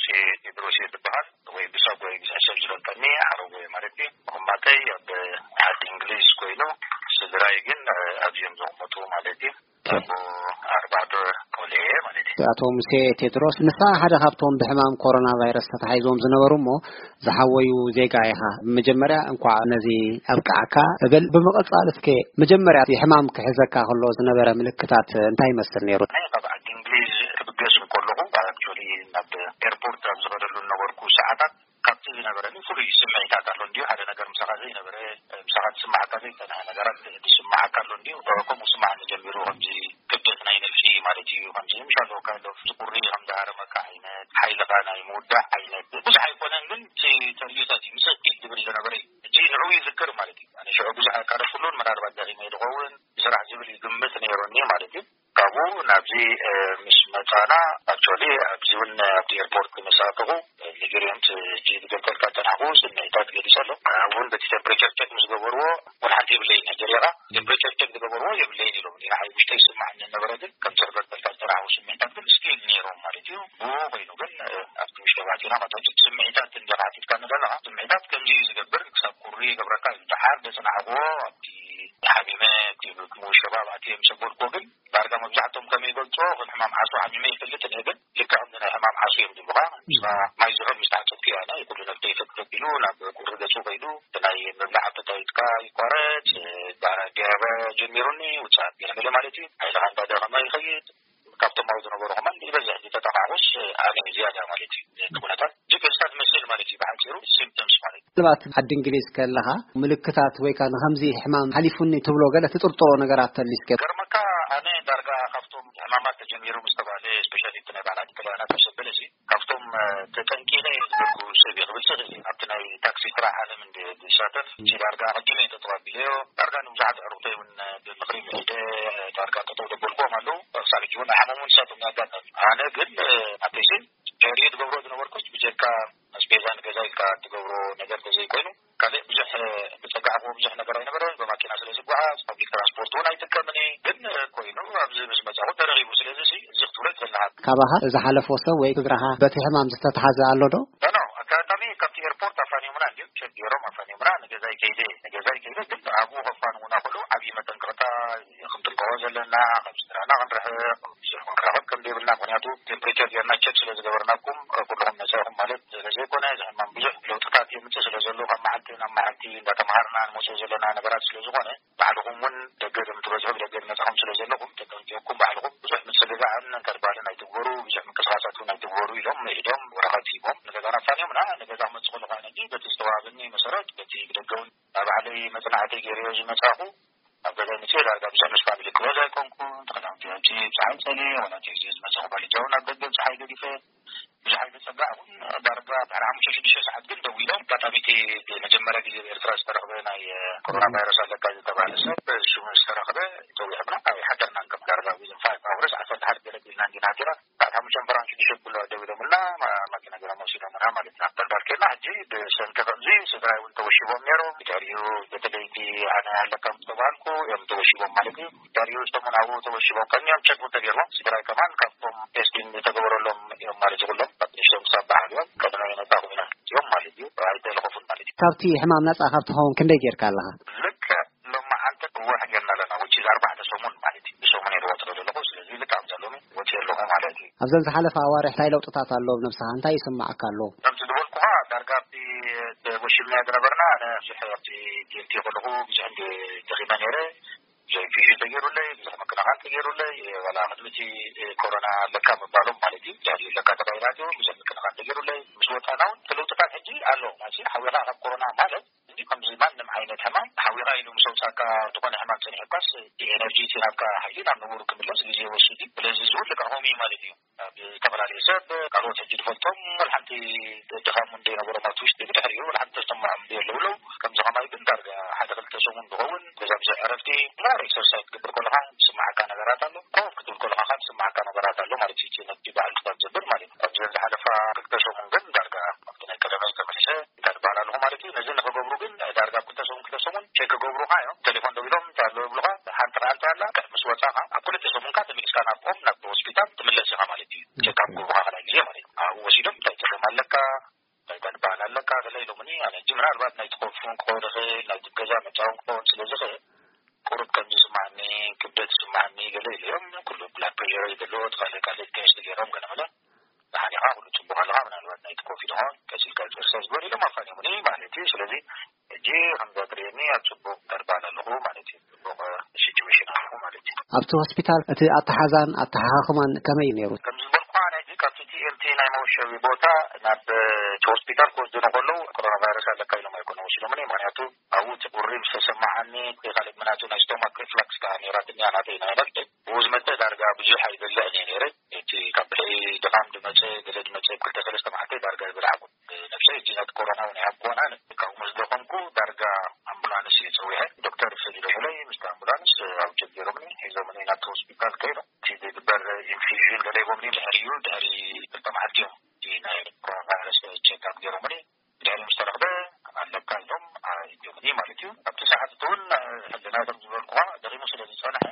ሴ ቴድሮስ እየ ዝበሃል፣ ወይ ብሳጓ እዩ ብዙሕ ሰብ ዝፈልጠኒ፣ ዓረቦ እየ ማለት እዩ። ምቕማጠይ ኣብ ዓዲ እንግሊዝ ኮይኑ፣ ስድራይ ግን ኣብዚኦም ዝቕመጡ ማለት እዩ። ኣቦ ኣርባዕተ ቆልዑ እየ ማለት እዩ። ኣቶ ሙሴ ቴድሮስ፣ ንስኻ ሓደ ካብቶም ብሕማም ኮሮና ቫይረስ ተታሒዞም ዝነበሩ እሞ ዝሓወዩ ዜጋ ኢኻ። መጀመርያ እንኳዕ ነዚ ኣብቅዓካ እብል። ብምቕጻል እስከ መጀመርያ እቲ ሕማም ክሕዘካ ከሎ ዝነበረ ምልክታት እንታይ ይመስል ነይሩ? ኣነ ካብ ዓዲ እንግሊዝ ክብገስ እንከለኹ፣ ኣክቹዋሊ ናብ ኤርፖርት ኣብ ዝኸደሉ ዝነበርኩ ሰዓታት ካብቲ ዝነበረኒ ፍሉይ ስምዒታት ኣሎ እንድዩ። ሓደ ነገር ምሳኻ ዘይነበረ፣ ምሳኻ ዝስማዓካ ዘይጸንሐ ነገራት ዝስማዓካ ኣሎ እንድዩ። ከምኡ ስማዓኒ ጀሚሩ፣ ከምዚ ክብደት ናይ ነብሲ ማለት እዩ። ከምዚ ምሻሎ ካይንድ ኦፍ ዝቁሪ ከም ዝሃረመካ ዓይነት፣ ሓይልኻ ናይ ምውዳእ ዓይነት፣ ብዙሕ ኣይኮነን ግን እቲ ተርእዮታት እዩ። ምስ እኪት ዝብል ዝነበረ እዩ። ሕጂ ንዕኡ ይዝክር ማለት እዩ። ኣነ ሽዑ ብዙሕ ኣቃረብኩሉን፣ ምናልባት ደኺመ ይኸውን ብስራሕ ዝብል ይግምት ነይሩኒ ማለት እዩ። ካብኡ ናብዚ፣ እ፣ ምስ መጻና፣ ኣክቹዋሊ ኣብዚ እውን ኣብቲ ኤርፖርት ምስ ኣተኹ፣ እ፣ ንግሪኦም ት-፣ እጂ ዝገልጸልካ ዝጸናሕኩ ስምዒታት ገሊጸ ኣሎ። ኣብኡ እውን በቲ ቴምፕሬቸር ቸክ ምስ ገበርዎ፣ ወላ ሓንቲ የብለይን። ሕጂ ሪኢኻ ቴምፕሬቸር ቸክ ዝገበርዎ የብለይን ኢሎም። ንዓይ ውሽጠይ ይስማዓኒ ነበረ፣ ግን ከምቲ ዝገልጸልካ ዝጸናሕኩ ስምዒታት ግን ስቲል ነይሮም ማለት እዩ። ብኡ ኮይኑ ግን፣ እ፣ ኣብቲ ውሽጢ ባቲና ማለት እቲ ስምዒታት እንዲኻ ሓቲትካኒ ዘለኻ፣ ስምዒታት ከምዚ እዩ ዝገብር፣ ክሳብ ቁሪ ይገብረካ እዩ። ደሓር ዘጸናሕኩዎ ኣብቲ ሓሚመ፣ እቲ ምሸባብ ኣትየ ምስ ኣበልኩዎ ግን ዳርጋ መብዛሕትኦም ከም ይገልጾ፣ ከም ሕማም ዓሶ ሓሚመ ይፈልጥ እየ፣ ግን ልክዕ ከምዚ ናይ ሕማም ዓሶ እዮም ዝብሉኻ። ንስኻ ማይ ዝሑል ምስ ተሓጸብኩ እዩ ኣነ ኩሉ ነብሰይ ፈትፈት ኢሉ ናብ ቁሪ ገጹ ከይዱ፣ እቲ ናይ ምብላዕ ኣፐታይትካ ይቋረጽ፣ ዳ-፣ ዲያርያ ጀሚሩኒ፣ ውጽኣት ገለ ገለ ማለት እዩ። ሓይልኻ እንዳደኸመ ይኸይድ። ካብቶም ኣብኡ ዝነበሩ ከማን ዝበዝሕ ዝተጠቓዕኩስ ኣነ ዝያዳ ማለት እዩ። እቲ ኩነታት ጅግርሳ ትመስል ማለት እዩ። ብሓጺሩ ሲምፕተምስ ማለት እዩ። ምናልባት ዓዲ እንግሊዝ ከለኻ ምልክታት ወይ ከኣ ንኸምዚ ሕማም ሓሊፉኒ ትብሎ ገለ ትጥርጥሮ ነገራት ተሊስከ? ገርመካ ኣነ ዳርጋ ካብቶም ሕማማት ተጀሚሩ ምስ ተባለ፣ ስፔሻሊ እቲ ናይ በዓል ዓዲ ጥልያናት ምስ ኣበለ፣ ካብቶም፣ እ፣ ተጠንቂቐ እየ ዝበልኩ ሰብ እየ ክብል ዝኽእል እየ። ኣብቲ ናይ ታክሲ ስራሕ ዓለም እንደ ዝሳተፍ፣ እዚ ዳርጋ ኣቐዲመ እየ ጠጠው ኣቢለዮ። ዳርጋ ንብዙሓት ኣዕሩኽተይ እውን ብምኽሪ ምሒደ፣ ዳርጋ ጠጠው ዘበልኩዎም ኣለዉ። ክሳብ ሕጂ እውን ኣይሓመሙን፣ ንሳቶም ኣጋጣሚ። ኣነ ግን፣ እ፣ ናተይ ስም ሸሪኡ ትገብሮ ዝነበርኩስ ብጀካ ኣስቤዛ ንገዛ ኢልካ ትገብሮ ነገር ተዘይኮይኑ፣ ካልእ ብዙሕ፣ እ፣ ዝጸጋዕክዎ ብዙሕ ነገር ኣይነበረን። ብማኪና ስለ ዝጓዓዝ፣ ፓብሊክ ትራንስፖርት እውን ኣይጥቀምን እየ። ግን፣ እ፣ ኮይኑ ኣብዚ ምስ መጻኹ ተረኺቡ። ስለዚ ሲ፣ እዚ ክትብሎ ይኽእል ኣለኻ። ካባኻ ዝሓለፎ ሰብ ወይ ስድራኻ በቲ ሕማም ዝተትሓዘ ኣሎ ዶ? ኖ፣ ኖ፣ ኣጋጣሚ ካብቲ ኤርፖርት ኣፋንዮምና እንድዮም፣ ቸክ ገይሮም ኣፋንዮምና። ንገዛይ ከይደ፣ ንገዛይ ከይደ፣ ግን ኣብኡ ከፋንዉና ከለዉ ዓብዪ መጠንቀቕታ ክንጥንቀቖ ዘለና፣ ካብ ስድራና ክንርሕቕ፣ ብዙሕ ክንራኸብ ከም ዘይብልና፣ ምኽንያቱ ቴምፕሬቸር ጌርና ቸክ ስለ ዝገበርናኩም፣ ኩልኹም ነጻ ኢኹም ማለት ስለ ዘይኮነ፣ እዚ ሕማም ብዙሕ ለውጥታት የምጽእ ስለ ዘሎ፣ ካብ መዓልቲ ናብ መዓልቲ እንዳተምሃርና ንመጽኦ ዘለና ነገራት ስለ ዝኾነ፣ ባዕልኹም እውን ደገ ከም ትበዝሑ ብደገ ዝመጻኹም ስለ ዘለኹም፣ ተጠንቂቕኩም ባዕልኹም ብዙሕ ምጽግጋዕን እንተድባልን ኣይትግበሩ፣ ብዙሕ ምንቅስቓሳት እውን ኣይትግበሩ ኢሎም ምዒዶም፣ ወረቐት ሂቦም ንገዛና ኣፋንዮምና። ንገዛ ክመጽእ ከለኹ ኣነ ግን በቲ ዝተዋህበኒ መሰረት፣ በቲ ብደገ እውን ኣብ ባዕለይ መጽናዕቲ ገይረዮ ዝመጻኹ፣ ኣብ ገዛይ መጽእ ዳርጋ ብዙሕ ምስ ፋሚሊ ክሎዝ ኣይኮንኩን። ተኸዳውንቲ ሕጂ ብፀሓይ ጸልየ፣ ዋላ እቲ ግዜ ዝመጸኹ ባልጃ እውን ኣብ ደገ ብፀሓይ ገዲፈ፣ ብዙሕ ኣይተጸጋዕኩን። ዳርጋ ድሕሪ ሓሙሽተ ሽዱሽተ ሰዓት ግን ደዊሎም፣ ኣጋጣሚ እቲ መጀመርያ ግዜ ኣብ ኤርትራ ዝተረኽበ ናይ ኮሮና ቫይረስ ኣለካ ዝተባህለ ሰብ ሽሙ ዝተረኽበ፣ ጸዊዖምና ኣይሓደርናን። ከም ዳርጋ ዊዝን ፋይቭ ኣወርስ፣ ዓሰርተ ሓደ ገለ ቢልና እንዲና ሓዲርና። ሰዓት ሓሙሽተ እምበራን ሽዱሽተ ኩሉ ደዊሎምልና፣ ማ-፣ ማኪና ገይሮም ወሲዶምና ማለት እዩ። ናብ በልባል ኬድና ሕጂ ብሰንኪ ከምዚ ስድራይ እውን ተወሺቦም ነይሮም። ድሕሪኡ በተለይ እቲ ኣነ ኣለካ ምስ ተባሃልኩ እዮም ተወሺቦም ማለት እዩ። ድሕሪኡ እቶም እውን ኣብኡ ተወሺቦም ቀንዮም ቸክ እውን ተገይርዎም። ስድራይ ከማን ካብቶም ቴስቲንግ ዝተገበረሎም እዮም ማለት እዩ። ኩሎም ካብ ንእሽቶም ክሳብ በዓል እዮም። ቀደም ኣይነጻ ኮይና እዮም ማለት እዩ። ኣይተለኸፉን ማለት እዩ። ካብቲ ሕማም ነጻ ካብ ትኸውን ክንደይ ጌርካ ኣለኻ? ልክዕ ሎማዓንቲ እወሕ ጌርና ኣለና፣ which is ኣርባዕተ ሰሙን ማለት እዩ። ብሰሙን እየ ዝወጽእ ዘለኹ፣ ስለዚ ልክዕ ኣብዛ ሎሚ ወጽእ ኣለኹ ማለት እዩ። ኣብዘን ዝሓለፋ ኣዋርሕ እንታይ ለውጥታት ኣሎ ኣብ ነብስኻ? እንታይ ይስምዓካ ኣሎ? ከምቲ ዝበልኩኻ፣ ዳርጋ ኣብቲ ተጎሺምናዮ ዝነበርና፣ ኣነ ብዙሕ ኣብቲ ቲኤምቲ ከለኹ ብዙሕ እንደ ደኺመ ነይረ። ብዙሕ ኢንፊውዥን ተገይሩለይ፣ ብዙሕ ምክንኻን ተገይሩለይ፣ ዋላ ቅድሚ እቲ ኮሮና ኣለካ ምባሎም ማለት እዩ፣ ድሕሪኡ ኣለካ ተባሂላ እትዮ፣ ብዙሕ ምክንኻን ተገይሩለይ። ምስ ወጻና እውን እቲ ለውጥታት ሕጂ ኣሎ። ማለት ሓዊኻ ካብ ኮሮና ማለት እንዲ ከምዚ ማንም ዓይነት ሕማም ሓዊኻ ኢሉ ምስ ኣውጻካ፣ ዝኾነ ሕማም ጸኒሑካስ፣ እቲ ኤነርጂ፣ እቲ ናብካ ሓይሊ ናብ ንቡሩ ክምለስ ግዜ ይወስድ እዩ። ስለዚ እዚ እውን ልክዕኹም እዩ ማለት እዩ። ኣብ ዝተፈላለዩ ሰብ፣ ካልኦት ሕጂ ዝፈልጦም፣ ወላ ሓንቲ ድኻም እንደ ነበሮም ኣብቲ ውሽጢ፣ ብድሕሪኡ ወላ ሓንቲ ተሰምዖም እንደ የለውለው። ከምዚ ከማይ ግን ዳርጋ ሓደ ክልተ ሰሙን ዝኸውን፣ ገዛ ብዙሕ ዕረፍቲ፣ ሞር ኤክሰርሳይዝ ክትገብር ከለኻ ዝስምዓካ ነገራት ኣሎ። ኮፍ ክትብል ከለኻ ከዓ ዝስምዓካ ነገራት ኣሎ ማለት እዩ። እቲ ነቲ በዓል ክሳብ ዘብል ማለት እዩ። ኣብዚ ዝሓለፋ ክልተ ሰሙን ግን ዳርጋ ኣብቲ ናይ ቀደመይ ተመሊሰ እንታይ ዝበሃል ኣለኹ ማለት እዩ። ነዚ ንኽገብሩ ግን ዳርጋ ኣብ ክልተ ሰሙን፣ ክልተ ሰሙን ቸክ ክገብሩኻ እዮም። ቴሌፎን ደዊሎም እንታይ ኣሎ ይብሉኻ፣ ሓንቲ መዓልቲ ኣላ፣ ምስ ወጻኻ ኣብ ክልተ ሰሙንካ ተመሊስካ ናብኦም፣ ናብ ሆስፒታል ትምለስ ኢኻ ማለት እዩ። ቸክ ኣብ ክገብሩኻ ካልኣይ ግዜ ማለት እዩ። ኣብኡ ወሲዶም ኢሎምኒ። ኣነ ሕጂ ምናልባት ናይቲ ኮፍ እውን ክኸውን ይኽእል፣ ናይቲ ገዛ መጻውን ክኸውን ስለ ዝኽእል፣ ቁሩብ ከም ዝስማዓኒ፣ ክብደት ዝስማዓኒ ገለ ኢለ እዮም። ኩሉ ብላድ ፕሬሸረይ ዘለዎ፣ ካልእ ካልእ ቴስት ገይሮም ገለ መለ፣ ደሓን ኢኻ፣ ኩሉ ጽቡቕ ኣለኻ፣ ምናልባት ናይቲ ኮፍ ኢልኻ ቀሲልካ ኤክሰርሳይዝ ግበር ኢሎም ኣፋኒሙኒ ማለት እዩ። ስለዚ ሕጂ ከምዛ ትርእየኒ ኣብ ጽቡቕ ተርባል ኣለኹ ማለት እዩ። ጽቡቕ ሲቹዌሽን ኣለኹ ማለት እዩ። ኣብቲ ሆስፒታል እቲ ኣተሓዛን ኣተሓኻኽማን ከመይ እዩ ነይሩ? ከም ዝበልኩ፣ ኣነ ሕጂ ካብቲ ቲ ኤም ቲ ናይ መወሸቢ ቦታ ናብ እቲ ሆስፒታል ክወስዱኒ ከለዉ፣ ኮሮና ቫይረስ ኣለካ ኢሎም ኣይኮነ ወሲዶምኒ። ምኽንያቱ ኣብኡ እቲ ቁሪ ምስ ተሰማዓኒ፣ እቲ ካልእ ምናቱ ናይ ስቶማክ ሪፍላክስ ከኣ ነይራትኒ፣ ናተይ ናይ ነፍሰይ። ብኡ ዝመጸ ዳርጋ ብዙሕ ኣይበልዕን እየ ነይረ። እቲ ካብ ብልዒ ድኻም ዝመጸ፣ ገለ ዝመጸ፣ ክልተ ሰለስተ መዓልቲ ዳርጋ ኣይበላዕኩን። ነፍሰይ እጂ ነቲ ኮሮና እውን ኣይሃብኩዋን ኣነ። ካብኡ ምስ ደኸምኩ ዳርጋ ኣምቡላንስ እየ ጸዊዐ። ዶክተር ሰዲዶምለይ፣ ምስቲ ኣምቡላንስ ኣብ ጀት ገይሮምኒ፣ ሒዞምኒ ናብቲ ሆስፒታል ከይዶም። እቲ ዝግበር ኢንፊዥን ገለ ሂቦምኒ፣ ድሕሪኡ፣ ድሕሪ ክልተ መዓልቲ እዮም እቲ ናይ ኮሮና ቫይረስ ቼክ ኣፕ ገይሮምኒ። ድሕሪ ምስ ተረኽበ ኣለካ ኢሎም ኣእትዮምኒ ማለት እዩ። ኣብቲ ሰዓት እቲ እውን ሕልናይ ከም ዝበልኩኻ ደኺሙ ስለ ዝጸንሐ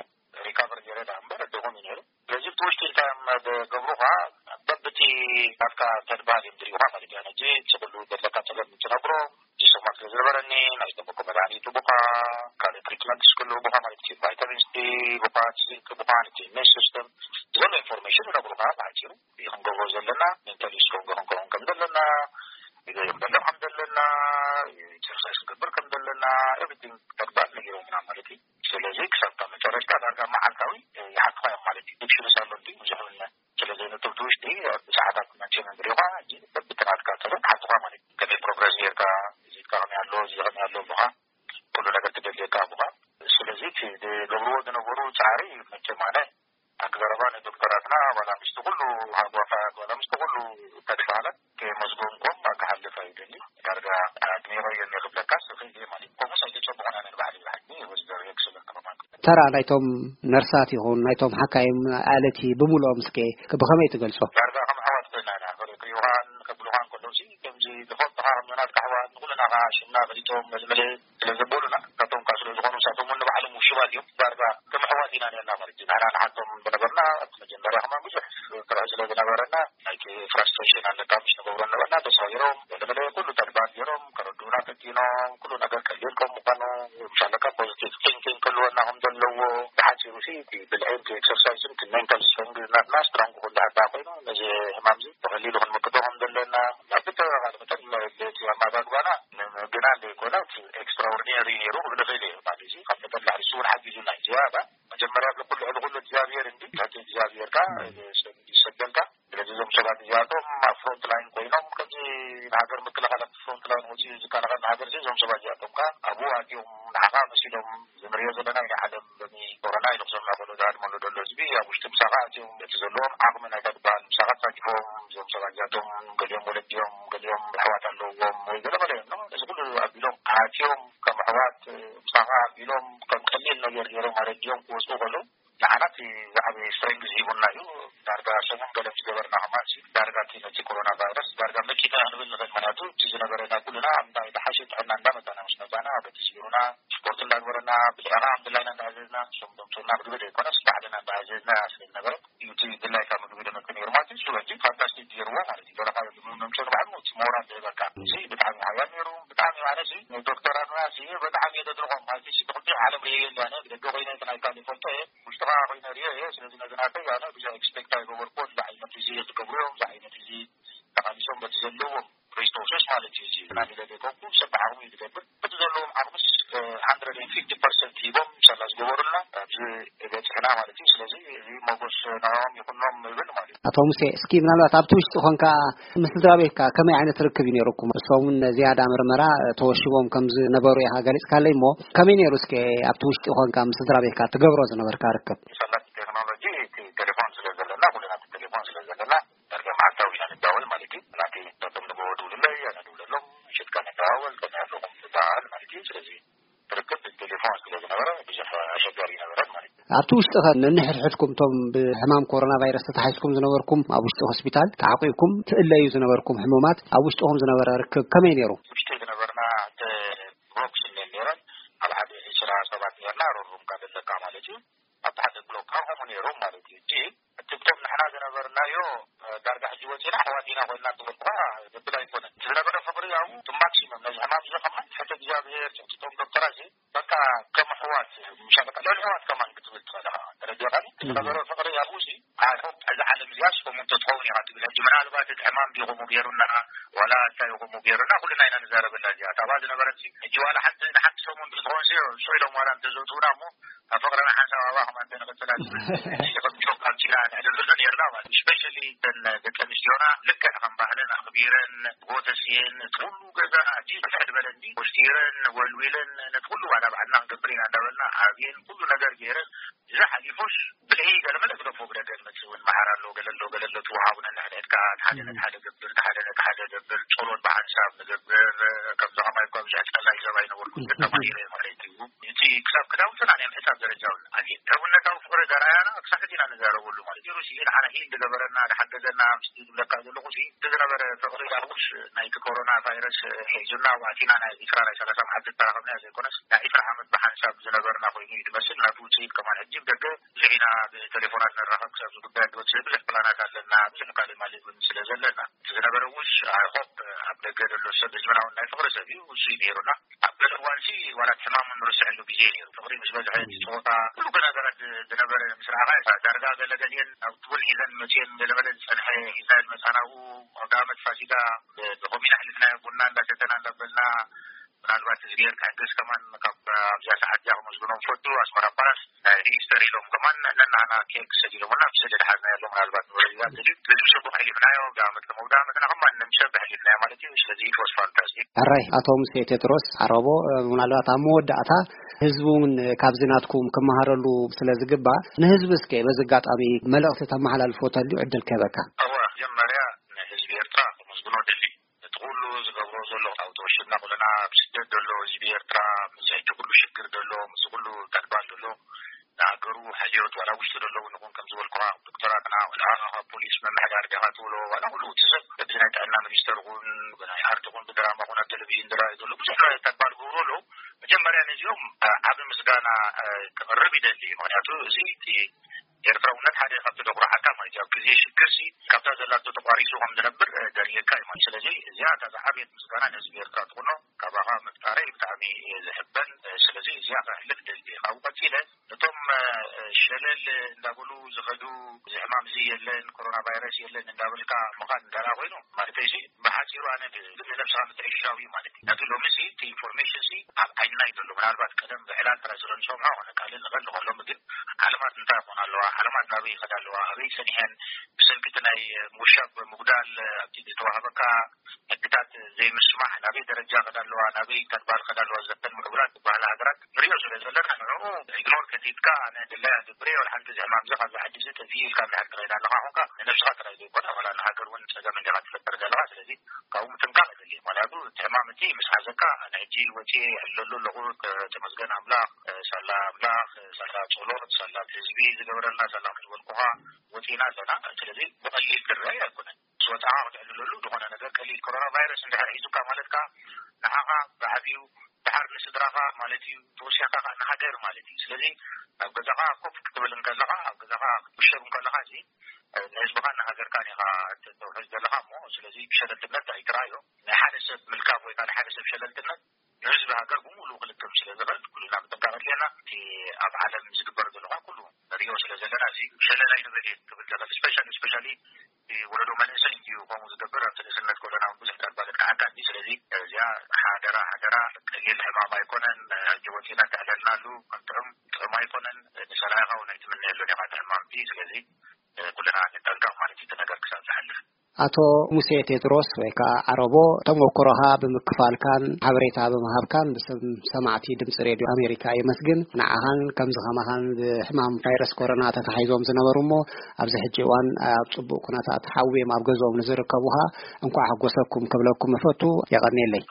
ሪካቨር ገይረ ደኣ እምበር ደኹም እዩ ነይሩ። ስለዚ እቲ ውሽጢ ኢልካ እዮም ዝገብሩኻ፣ በብቲ ናትካ ተድባል እዮም ዝርእዩኻ ማለት እዩ። ኣነ ሕጂ እቲ ኩሉ ዘለካ ጸገም እንትነግሮም፣ እዚ ሰሙን ስለ ዝነበረኒ ናይ ዝተመኮ መድሃኒት ቡኻ፣ ካልእ ትሪትመንት ክህሉ ቡኻ ማለት እዩ። ቫይታሚን ሲ ቡኻ፣ ዚንክ ቡኻ፣ እቲ ኢሚን ሲስተም ዘሎ ኢንፎርሜሽን ይነግሩኻ ብሓጺሩ። እዚ ክንገብሮ ዘለና፣ ሜንታሊ ስትሮንግ ክንከውን ከም ዘለና፣ ግዜ ክንበልዕ ከም ዘለና፣ ኤክሰርሳይዝ ክንገብር ከም ዘለና፣ ኤቭሪቲንግ ተግባር ነጊሮምና ማለት እዩ። ስለዚ ክሳብ መጨረሽታ ዳርጋ መዓልታዊ ይሓቱኻ እዮም ማለት እዩ። ኢንሹረንስ ኣሎ እንዲ ብዙሕ ስለ ዘይነጥብ ውሽጢ ሰዓታት መቸም እንድሪኻ፣ ሕጂ በብትናትካ ጥበብ ሓቱኻ ማለት እዩ። ከመይ ፕሮግረስ ጌርካ፣ ቪዚትካ ከመይ ኣሎ፣ እዚ ከመይ ኣሎ ብኻ፣ ኩሉ ነገር ትደልየካ ብኻ። ስለዚ እቲ ዝገብርዎ ዝነበሩ ጻዕሪ መቸም ኣነ ኣቀራርባ ንዶክተራትና ዋላ ምስቲ ኩሉ ሃጓፋት ዋላ ምስቲ ኩሉ ተድባላት ከየመስገንኩም ክሓልፍ ኣይደሊ። ዳርጋ ኣድኒቐዮ እየ ክብለካ ስኺ እየ ማለት እዩ። ከምኡስ ኣይተጸብቑን ኣነ ንባዕለይ ብሓቂ ወዝደር ኤክሰለንት ኮማንድ። ተራ ናይቶም ነርሳት ይኹን ናይቶም ሓካይም ኣለቲ ብምልኦም እስከ ብኸመይ ትገልጾ? ዳርጋ ከም ኣሕዋት ኮይና ኢና። ክሪኡኻን ከብሉኻን ከለውሲ ከምዚ ዝፈልጡኻ ከም ናትካ ኣሕዋት ንኹልና ኸዓ ሽምና ፈሊጦም መልመለ ስለ ዘበሉና፣ ናቶም ከኣ ስለ ዝኾኑ ንሳቶም እውን ንባዕሎም ውሽባት እዮም። ዳርጋ ከም ኣሕዋት ኢና ነርና ማለት እዩ። ንሕና ንሓቶም ዝነበርና ኣብቲ መጀመርያ ከማን ብዙሕ ፍርሒ ስለ ዝነበረና፣ ናይቲ ፍራስትሬሽን ኣለካ፣ ምሽ ንገብሮ ነበርና፣ ተሳዊሮም፣ ገለ ገለ ኩሉ ተድባር ገይሮም፣ ከረድኡና ፈቲኖም፣ ኩሉ ነገር ቀሊል ከም ምዃኑ፣ ምሽ ኣለካ ፖዚቲቭ ቲንኪንግ ክህልወና ከም ዘለዎ፣ ብሓጺሩ ሲ፣ እቲ ብልዕን እቲ ኤክሰርሳይስን እቲ ሜንታል ስትሮንግ ናትና ስትሮንግ ክህሉ ሓታ ኮይኑ፣ ነዚ ሕማም እዚ ብቐሊሉ ክንምክቶ ከም ዘለና፣ ናብ ብተባባለ መጠን እቲ ኣመጋግባና ንምግናን ዘይኮነ፣ እቲ ኤክስትራኦርዲነሪ ነይሩ ክብል እኽእል እየ። ማለት እዚ ካብ መጠን ላዕሊ እሱ እውን ሓጊዙና እዩ። ዝያዳ መጀመርያ ብኩሉ ልዕሊ ኩሉ እግዚኣብሔር እንዲ፣ እቲ እግዚኣብሔር ከኣ ይሰበልካ። ስለዚ እዞም ሰባት እዚኣቶም ኣብ ፍሮንት ላይን ኮይኖም፣ ከምዚ ንሃገር ምክልኻል ኣብቲ ፍሮንት ላይን ወፂኡ ዝከላኸል ንሃገር እዚ፣ እዞም ሰባት እዚኣቶም ከኣ ኣብኡ ኣትዮም ንዓኻ መሲሎም፣ እዚ ንሪኦ ዘለና እዩ ናይ ዓለም ሎሚ ኮሮና ኢሉ ክሰምዕ ከሎ ዝሃድመሉ ዘሎ ህዝቢ፣ ኣብ ውሽጢ ምሳኻ ኣትዮም እቲ ዘለዎም ዓቕሚ ናይታ ትበሃል ምሳኻ ኣሳቲፎም፣ እዞም ሰባት እዚኣቶም ገሊኦም ወለዲ እዮም፣ ገሊኦም ኣሕዋት ኣለዎም ወይ ገለ መለ እዮም። እዚ ኩሉ ኣቢሎም ኣትዮም ከም ኣሕዋት ምሳኻ ኣቢሎም ከም ቀሊል ነገር ገይሮም ኣረዲኦም ክወስዱ ከለዉ፣ ንዓና እቲ ዝዓበየ ስትሬንግዝ ሂቡና እዩ። ዳርጋ ሰሙን ገለ ምስ ገበርና ከማን ሲ፣ ዳርጋ እቲ ነቲ ኮሮና ቫይረስ ዳርጋ መኪትና ክንብል ንኽእል። ምኽንያቱ እቲ ዝነበረና ኩልና ኣብ እንታይ ዝሓሸ ጥዕና እንዳመጻና ምስ መጻና፣ በቲ ስቢሩና ስፖርት እንዳግበረና፣ ብልዕና ከም ድላይና እንዳኣዘዝና፣ እሶም ደምፅኡና ምግቢ ዘይኮነስ ባዕልና እንዳኣዘዝና ስለ ዝነበረ፣ እዩ እቲ ድላይካ ምግቢ ደመጽእ ነይሩ ማለት እዩ። ስለዚ ፋንታስቲክ ገይርዎ ማለት እዩ። ደረኻ ምግቢ ምምፅኡ ንባዕሉ እቲ ሞራል ዝህበካ። እዚ ብጣዕሚ ሓያል ነይሩ። ብጣዕሚ ማለት እዩ። ዶክተራት ሙያ ሲ ብጣዕሚ እየ ዘድንቖም። ማለት እዩ። እቲ ክልቲኦም ዓለም ርእየ የለ። ኣነ ብደገ ኮይነ እቲ ናይ ካልእ ፈልጦ እየ። ውሽጥኻ ኮይነ ርእየ እየ። ስለዚ ነዚ ናተይ ኣነ ብዙሕ ኤክስፔክት ኣይገበርኩዎን። እዚ ዓይነት እዚ ዝገብሩ እዮም። እዚ ዓይነት እዚ ተቓሊሶም በቲ ዘለዎም ሪሶርስስ ማለት እዩ። እዚ ናኒ ለደቆኩ ሰብ ብዓቕሙ እዩ ዝገብር። በቲ ዘለዎም ዓቕምስ፣ እ፣ ሃንድረድ ኤንድ ፊፍቲ ፐርሰንት ሂቦም ምሳላ ዝገበሩልና ኣብዚ በጽሕና ማለት እዩ። ስለዚ እዚ ሞጎስ ንዕኦም ይኹኖም ይብል ማለት እዩ። ኣቶ ሙሴ፣ እስኪ ምናልባት ኣብቲ ውሽጢ ኾንካ ምስ ስድራ ቤትካ ከመይ ዓይነት ርክብ እዩ ነይሩኩም? እሶም እውን ዝያዳ ምርመራ ተወሽቦም ከም ዝነበሩ ኢኻ ገሊጽካለይ እሞ፣ ከመይ ነይሩ እስከ ኣብቲ ውሽጢ ኾንካ ምስ ስድራ ቤትካ ትገብሮ ዝነበርካ ርክብ? ሰላት ቴክኖሎጂ እቲ ቴሌፎን ስለ ዘለና፣ ኩልና እቲ ቴሌፎን ስለ ዘለና፣ ዳርጋ መዓልታዊ ኢና ንዳወል ማለት እዩ። ናቲ ናቶም ንጎ ድውልለይ፣ ኣነ ድውለሎም፣ ምሸትካ ንደዋወል፣ ከመይ ኣለኹም ንበሃል ማለት እዩ። ስለዚ ርክብ ብቴሌፎን ስለ ዝነበረ ብዙሕ ኣሸጋሪ ነበረ ማለት እዩ። ኣብቲ ውሽጢ ኸ ነንሕድሕድኩም እቶም ብሕማም ኮሮና ቫይረስ ተታሒዝኩም ዝነበርኩም ኣብ ውሽጢ ሆስፒታል ተዓቂብኩም ትእለዩ ዝነበርኩም ሕሙማት ኣብ ውሽጥኹም ዝነበረ ርክብ ከመይ ነይሩ? ውሽጢ ዝነበርና ክልተ ቦክስ እነን ነይረን። ኣብ ሓደ ዒስራ ሰባት ነርና፣ ሮሩም ካብ ዘለካ ማለት እዩ። ሓደ ብሎክ ከምኡ ነይሮም ማለት እዩ። እቲ እቶም ንሕና ዝነበርናዮ ዳርጋ ሕጂ ወፂና ኣሕዋት ኢና ኮይና ትብል እኳ ዘብል ኣይኮነን። ዝነበረ ፍቕሪ ኣብኡ ማክሲመም ነዚ ሕማም እዚ ከማን ትሕቲ እግዚኣብሔር ትሕቲ እቶም ዶክተራት በቃ ከም ኣሕዋት ምሻ በቃ ልዕሊ ኣሕዋት ከማን ክትብል ትኽእል ኢኻ። ተረዲኻኒ? ዝነበረ ፍቕሪ ኣብኡ እዚ ኣይ ሆፕ እዛ ዓለም እዚኣ ስፖም እንተትኸውን ኢኻ ትብል። ሕጂ ምናልባት እቲ ሕማም ዲኹም ገይሩና ዋላ እንታይ ይኹም ገይሩና ኩልና ኢና ንዛረበላ እዚኣ። ታባ ዝነበረት ሕጂ ዋላ ሓንቲ ንሓንቲ ሰሙን ብዝኾን ስዑ ኢሎም ዋላ እንተዘውትውና እሞ ኣብ ፍቕርና ሓንሳብ ኣባኹም እንተንቕጽላ ትብል። ሕጂ ከም ጆክ ኣምሲላ ንዕልልዑ ነርና ማለት እዩ። ስፔሻሊ እተን ደቂ ኣንስትዮና ልክዕ ከም ባህለን ኣኽቢረን ጎተስየን እቲ ኩሉ ገዛ ኣጂ ብልሕ ዝበለ እንዲ ወስቲረን ወልዊለን ነቲ ኩሉ ዋላ ባዕልና ክንገብር ኢና እንዳበልና ኣብየን ኩሉ ነገር ገይረን እዚ ሓሊፉስ ብልሒ ገለመለ ግደፎ ብደገ ዝመጽእ እውን መዓር ኣሎ ገለ ኣሎ ገለ ኣሎ ትወሃቡ ነንሕድሕድካ ሓደ ነቲ ሓደ ገብር ሓደ ነቲ ሓደ ገብር ጸሎት ብሓንሳብ ንገብር። ከምዚ ከማይ እኳ ብዙሕ ጸላይ ሰብ ኣይነበርኩን ግን ተማሂረ ማለት እዩ። እቲ ክሳብ ክዳውንትና ናይ ምሕሳብ ደረጃ እውን ኣትየ ሕውነታዊ ፍቕሪ ዘርኣያና ክሳብ ሕጂ ኢና ንዛረበሉ ማለት እዩ። ሩሲ ንዓና ሂል ዝገበረና ዝሓገዘና ምስቲ ዝብለካ ዘለኹ ሲ እቲ ዝነበረ ፍቕሪ ዳርቡስ ናይቲ ኮሮና ቫይረስ ሒዙና ዋእቲና ናይ ዒስራ ናይ ሰላሳ መዓልቲ ዝተራኸብና ዘይኮነስ ናይ ዒስራ ዓመት ብሓንሳብ ዝነበርና ኮይኑ እዩ ዝመስል። ናቱ ውፅኢት ከማን ሕጂ ብደገ ብዙሕ ኢና ብቴሌፎናት ንራኸብ ክሳብ ዝጉዳይ ወፅእ ብዙሕ ፕላናት ኣለና ብዙሕ ካልእ ማለት እውን ስለ ዘለና እቲ ዝነበረ ውስ ኣይሆፕ ኣብ ደገ ዘሎ ሰብ ህዝብና እውን ናይ ፍቕሪ ሰብ እዩ ውሱ እዩ ነይሩና። ኣብ ገለ እዋንሲ ዋላ እቲ ሕማም ንርስዐሉ ግዜ ነይሩ። ፍቕሪ ምስ በዝሐ እቲ ፆታ ኩሉ ነገራት ዝነበረ ምስ ረኣኻ ዳርጋ ገለ ገሊአን ኣብ ትቡን ሒዘን መፅየን ገለመለ ዝፀንሐ ሒዛ ዝመፃናኡ ኣውደ ዓመት ፋሲጋ ብኮሚን ኣሕሊፍናዮ ቡና እንዳሰተና እንዳበልና ምናልባት እግዚኣብሔር ክሕግዝ ከማን ካብ ኣብዚኣ ሰዓት እዚኣ ክመስግኖም ፈቱ ኣስመራ ፓላስ ናይ ሪጅስተር ኢሎም ከማን ነናና ኬክ ሰዲሎምና ኣብ ስእሊ ድሓዝና ያለው ምናልባት ንወረዳ ትልዩ በዚ ምሸቱ ኣሕሊፍናዮ ብኣመት ከመውዳ መትና ከማን ንምሸት ኣሕሊፍናዮ ማለት እዩ። ስለዚ it was fantastic። ሕራይ ኣቶ ሙሴ ቴድሮስ ዓረቦ፣ ምናልባት ኣብ መወዳእታ ህዝቢ እውን ካብዚ ናትኩም ክመሃረሉ ስለ ዝግባእ ንህዝቢ እስከ በዚ ኣጋጣሚ መልእኽቲ ተመሓላልፎ ተልዩ ዕድል ክህበካ። እወ መጀመርያ ንህዝቢ ኤርትራ ክምስግኖ ደሊ እቲ ኩሉ ዝገብሮ ዘሎ ኣብ ተወሽብና ኩለና ኣብ ስደት ዘሎ ህዝቢ ኤርትራ ምስ ሕጂ ኩሉ ሽግር ዘሎ ምስ ኩሉ ተድባል ዘሎ ንሃገሩ ሓልዮት ዋላ ውሽጢ ዘለዉ ንኹን ከም ዝበልኩኻ ዶክተራትና ዋላ ካብ ፖሊስ ምምሕዳር ዲኻ ትብሎ ዋላ ኩሉ እቲ ሰብ በዚ ናይ ጥዕና ሚኒስተር ኹን ብናይ ኣርቲ ኹን ብድራማ ኹን ኣብ ቴሌቪዥን ዝረኣዩ ዘሎ ብዙሕ ተግባር ዝገብሩ ኣለዉ። መጀመርያ ነዚኦም ዓብ ምስጋና ክቕርብ ይደሊ። ምክንያቱ እዚ እቲ ኤርትራውነት ሓደ ካብቲ ዘኩርዓካ ማለት እዩ። ኣብ ግዜ ሽግር ሲ ካብታ ዘላቶ ተቋሪሱ ከም ዝነብር ደልየካ እዩ ማለት። ስለዚ እዚኣ እታ ዝዓበየት ምስጋና ንህዝቢ ኤርትራ ትኹኖ ካባኻ ምፍጣረይ ብጣዕሚ እየ ዝሕበን። ስለዚ እዚኣ ከሕልፍ ደልየ ካብኡ ቀፂለ እቶም ሸለል እንዳበሉ ዝኸዱ እዚ ሕማም እዚ የለን ኮሮና ቫይረስ የለን እንዳበልካ ምኻን እንዳላ ኮይኑ ማለት እዚ ብሓፂሩ ኣነ ንነብስኻ ምትዕሽሻው እዩ ማለት እዩ። ነቲ ሎሚ ሲ እቲ ኢንፎርሜሽን ሲ ኣብ ዓይንና እዩ ዘሎ። ምናልባት ቀደም ብዕላል ጥራይ ስለ ንሰምዖ ኾነ ካልእ ንቐል ንኸሎም ግን ዓለማት እንታይ ይኾን ኣለዋ፣ ዓለማት ናበይ ይኸዳ ኣለዋ፣ ኣበይ ሰኒሐን ብሰንኪ እቲ ናይ ምውሻብ ምጉዳል ኣብቲ ዝተዋህበካ ሕግታት ዘይምስማዕ ናበይ ደረጃ ከዳ ኣለዋ ናበይ ተድባል ከዳ ኣለዋ ዘተን ምዕቡላት ዝበሃላ ሃገራት ንሪኦ ስለ ዘለና ንዕኡ ኢግኖር ከቲትካ ኣነ ድላይ ኣገብረ ወላ ሓንቲ እዚ ሕማም እዚ ካብዚ ዓዲ እዚ ጠፊኡ ኢልካ እንድሕር ትኸይድ ኣለኻ ኹንካ ንነብስኻ ጥራይ ዘይኮነ ዋላ ንሃገር እውን ፀገም እንዲኻ ትፈጥር ዘለኻ። ስለዚ ካብኡ ምጥንቃቕ የድሊ። ምክንያቱ እቲ ሕማም እቲ ምስ ሓዘካ ኣነ ሕጂ ወፂ ይሕለሉ ኣለኹ። ተመስገን ኣምላኽ ሳላ ኣምላኽ ሳላ ፀሎት ሳላ ህዝቢ ዝገበረልና ሳላ ዝበልኩኻ ወፂና ኣለና። ስለዚ ብቐሊል ክረኣይ ኣይኮነን። ምስ ወፃኻ ክትዕልለሉ ዝኾነ ነገር ቀሊል ኮሮና ቫይረስ እንድሕር ሒዙካ ማለት ከዓ ንዓኻ ብዓብዩ ድሓር ንስድራኻ ማለት እዩ ተወሲኽካ ከዓ ንሃገር ማለት እዩ። ስለዚ ኣብ ገዛኻ ኮፍ ክትብል እንከለኻ ኣብ ገዛኻ ክትውሸብ እንከለኻ እዚ ንህዝብኻን ንሃገርካን ኢኻ ተውሕዝ ዘለኻ እሞ ስለዚ ብሸለልትነት ኣይትረኣዮ። ናይ ሓደ ሰብ ምልካፍ ወይ ከዓ ሓደ ሰብ ሸለልትነት ንህዝቢ ሃገር ብምሉኡ ክልክም ስለ ዝኽእል ኩልና ምጥንቃቕ ኣድልየና። እቲ ኣብ ዓለም ዝግበር ዘለኻ ኩሉ ንሪኦ ስለ ዘለና እዚ ሸለል ኣይንበል እየ ክብል ዘኽእል ስፔሻሊ ስፔሻሊ ወለዶ መንእሰይ እንዲዩ ከምኡ ዝገብር ኣብቲ ንእስነት ከለና ብዙሕ ተግባለት ክዓካ እንዲ ስለዚ እዚኣ ሓደራ ሓደራ ቀሊል ሕማም ኣይኮነን። ሕጂ ወፂና ተዕለልናሉ ክንጥዑም ጥዑም ኣይኮነን። ንሰላይኻ እውን ኣይትምነየሉን ኢኻ እቲ ሕማምቲ ስለዚ ኩልና ንጠንቀቕ ማለት እዩ እቲ ነገር ክሳብ ዝሓልፍ። ኣቶ ሙሴ ቴድሮስ ወይ ከዓ ዓረቦ ተመክሮኻ ብምክፋልካን ሓበሬታ ብምሃብካን ብስም ሰማዕቲ ድምፂ ሬድዮ ኣሜሪካ የመስግን። ንዓኻን ከምዚ ከማኻን ብሕማም ቫይረስ ኮሮና ተታሒዞም ዝነበሩ እሞ ኣብዚ ሕጂ እዋን ኣብ ፅቡቅ ኩነታት ሓውዮም ኣብ ገዝኦም ንዝርከቡ ኸዓ እንኳዕ ሓጎሰኩም ክብለኩም እፈቱ። የቐንየለይ።